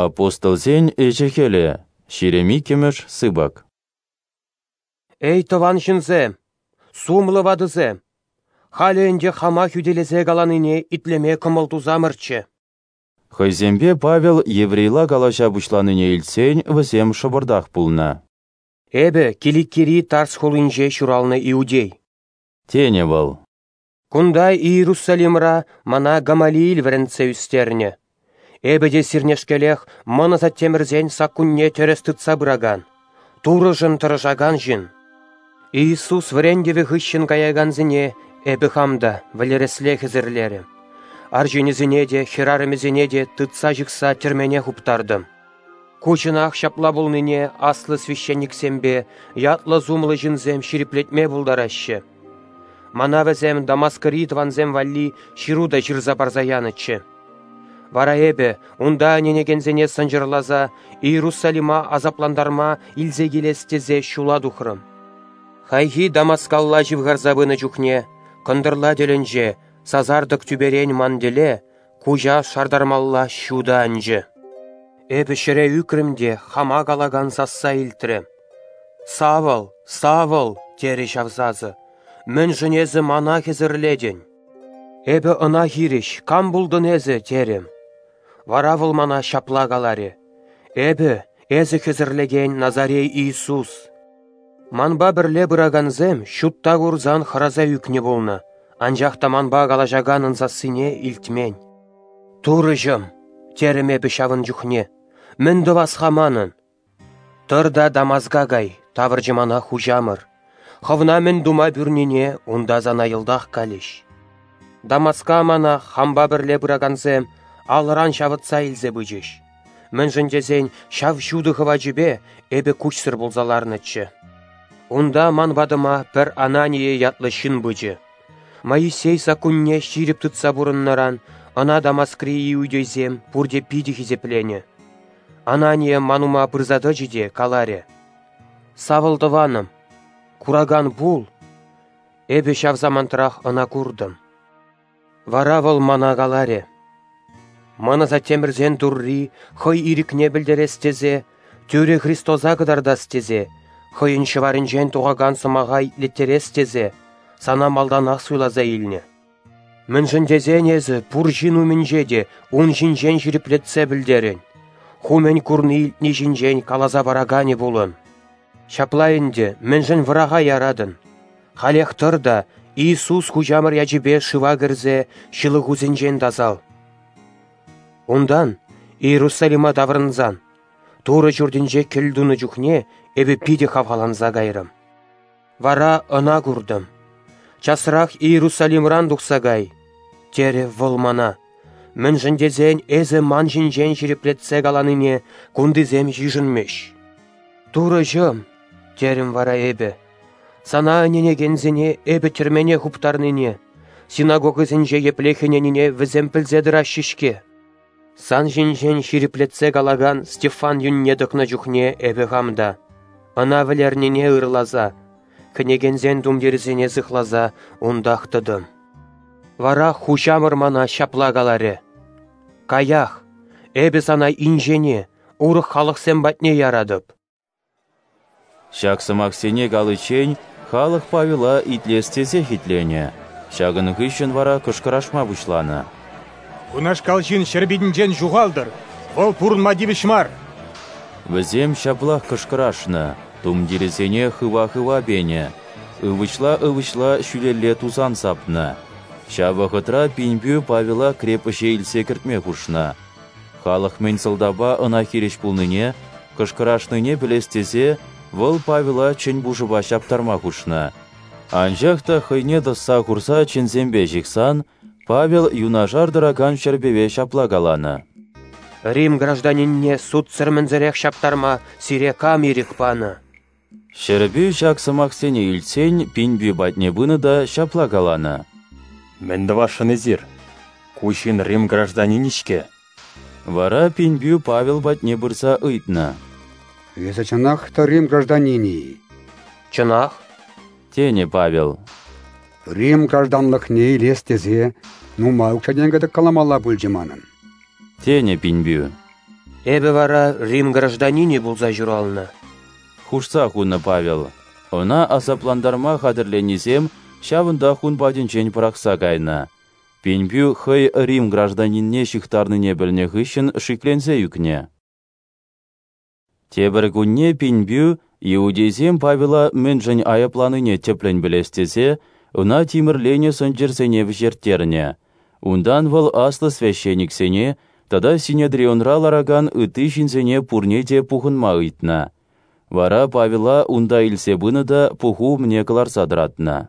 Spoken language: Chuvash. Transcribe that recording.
Апостолсен ӗҫӗ-хӗлӗ, 22-мӗш сыпӑк. Эй, тӑван ҫынсем, сумлӑ ватӑсем, халӗ ӗнтӗ хама хӳтӗлесе каланине итлеме кӑмӑл тусамӑрччӗ. Хӑйсемпе Павел еврейла калаҫа пуҫланине илтсен вӗсем шӑпӑртах пулнӑ. Эпӗ Киликири Тарс хулинче ҫуралнӑ иудей. Тенӗ вӑл. Кунта Иерусалимра мана Гамалиил вӗрентсе ӳстернӗ. Эпӗ те сирнешкелех мӑн асаттемӗрсен саккунне тӗрӗс тытса пыракан, Турӑшӑн тӑрӑшакан ҫын. Иисус вӗрентӗвӗ хыҫҫӑн каякансене эпӗ хам та вӗлересле хӗсӗрлерӗм. Арҫынӗсене те, хӗрарӑмӗсене те тытса ҫыхса тӗрмене хуптартӑм. Ку чӑнах ҫапла пулнине аслӑ священниксемпе ятлӑ-сумлӑ ҫынсем ҫирӗплетме пултараҫҫӗ. Мана вӗсем Дамаскри тӑвансем валли ҫыру та ҫырса парса янӑччӗ. Вара эпӗ унта ӗненекенсене сӑнчӑрласа Иерусалима асаплантарма илсе килес тесе ҫула тухрӑм. Хайхи Дамаскалла ҫывхарса пынӑ чухне кӑнтӑрла тӗлӗнче сасартӑк тӳперен ман тӗле куҫа шартармалла ҫутӑ анчӗ. Эпӗ ҫӗре ӳкрӗм те хама калакан сасса илтрӗм. «Савл, Савл!» терӗ ҫав сасӑ. «Мӗншӗн эсӗ мана хӗсӗрлетӗн?» Эпӗ ӑна хирӗҫ «Кам пултӑн эсӗ?» терӗм. Вара вӑл мана ҫапла каларӗ: «Эпӗ, эсӗ хӗсӗрлекен Назарей Иисус». Манпа пӗрле пыракансем ҫутта курсан хӑраса ӳкнӗ пулнӑ, анчах та манпа калаҫаканӑн сассине илтмен. «Турӑҫӑм!» терӗм эпӗ ҫавӑн чухне. «Мӗн тӑвас-ха манӑн?» «Тӑр та Дамаска кай», тавӑрчӗ мана хуҫамӑр. «Хӑвна мӗн тума пӳрнине унта сана йӑлтах калӗҫ». Дамаска мана хампа пӗрле пыракансем алӑран ҫавӑтса илсе пычӗҫ. Мӗншӗн тесен ҫав ҫутӑ хӑвачӗпе эпӗ куҫсӑр пулса ларнӑччӗ. Унта ман патӑма пӗр Анания ятлӑ ҫын пычӗ. Моисей саккунне ҫирӗп тытса пурӑннӑран ӑна Дамаскри иудейсем пурте питӗ хисепленӗ. Анания ман ума пырса тӑчӗ те каларӗ: «Савл тӑванӑм, куракан пул!» Эпӗ ҫав самантрах ӑна куртӑм. Вара вӑл мана каларӗ: «Ман асаттемӗрсен Турри хӑй ирӗкне пӗлтерес тесе, тӳрӗ Христоса кӑтартас тесе, хӑйӗн ҫӑварӗнчен тухакан сӑмаха итлеттерес тесе сана малтанах суйласа илнӗ. Мӗншӗн тесен эсӗ пур ҫын умӗнче те ун ҫинчен ҫирӗплетсе пӗлтерӗн, ху мӗн курни-илтни ҫинчен каласа параканӗ пулӑн. Ҫапла ӗнтӗ, мӗншӗн вӑраха яратӑн? Халех тӑр та Иисус хуҫамӑр ячӗпе шыва кӗрсе ҫылӑхусенчен тасал». Унтан Иерусалима таврӑнсан Турӑ ҫуртӗнче кӗл тунӑ чухне эпӗ питӗ хавхаланса кайрӑм. Вара ӑна куртӑм. Часрах Иерусалимран тухса кай, терӗ вӑл мана. Мӗншӗн тесен эсӗ ман ҫинчен ҫирӗплетсе каланине кунтисем йышӑнмӗҫ. Турӑҫӑм, терӗм вара эпӗ, сана ӗненекенсене эпӗ тӗрмене хуптарнине, синагогӑсенче епле хӗненине вӗсем пӗлсе тӑраҫҫӗ-ҫке. Сан ҫинчен ҫирӗплетсе калакан Стефан юнне тӑкнӑ чухне эпӗ хам та, ӑна вӗлернине ырласа, хӗнекенсен тумтирӗсене сыхласа унтах тӑтӑм. Вара хуҫамӑр мана ҫапла каларӗ: «Каях, эпӗ сана инҫене, урӑх халӑхсем патне яратӑп». Ҫак сӑмахсене каличчен халӑх Павела итлес тесех итленӗ. Ҫакӑн хыҫҫӑн вара кӑшкӑрашма пуҫланӑ. Кунашкал ҫын ҫӗр питӗнчен ҫухалтӑр, вӑл пурӑнма тивӗҫ мар. Вӗсем ҫаплах кӑшкӑрашнӑ, тумтирӗсене хыва-хыва пенӗ, ывӑҫла-ывӑҫла ҫӳлелле тусан сапнӑ. Ҫав вӑхӑтра пинпӳ Павела крепоҫе илсе кӗртме хушнӑ. Халӑх мӗн сӑлтавпа ӑна хирӗҫ пулнине, кӑшкӑрашнине пӗлес тесе вӑл Павела чӗн пушӑпа ҫаптарма хушнӑ. Анчах та хӑйне тӑсса хурса чӗнсемпе ҫыхсан Павел юнашар тӑракан ҫӗрпӗве ҫапла каланӑ: «Рим гражданинне судсӑр-мӗнсӗрех ҫаптарма сире кам ирӗк панӑ?» Ҫӗрпӳ ҫак сӑмахсене илтсен пинпӳ патне пынӑ та ҫапла каланӑ: «Мӗн тӑвасшӑн эсир? Ку ҫын Рим гражданинӗ-ҫке». Вара пинпӳ Павел патне пырса ыйтнӑ: «Эсӗ чӑнах та Рим гражданинӗ-и?» «Чӑнах», тенӗ Павел. «Рим гражданлӑхне илес тесе нумай укҫа-тенкӗ тӑккаламалла пулчӗ манӑн», тенӗ пинпӳ. Эпӗ вара Рим гражданинӗ пулса ҫуралнӑ. Хушса хунӑ Павел. Ӑна асаплантарма хатӗрленнисем ҫавӑнтах ун патӗнчен пӑрахса кайнӑ. Пинпӳ хӑй Рим гражданинне ҫыхтарнине пӗлнӗ хыҫҫӑн шикленсе ӳкнӗ. Тепӗр кунне пинпӳ иудейсем Павела мӗншӗн айӑпланине тӗплӗн пӗлес тесе ӑна тимӗрленӗ сӑнчӑрсене вӗҫерттернӗ. Унтан вӑл аслӑ священниксене тата Синедрионра ларакан ытти ҫынсене пурне те пухӑнма ыйтнӑ. Вара Павела унта илсе пынӑ та пуху умне кӑларса тӑратнӑ.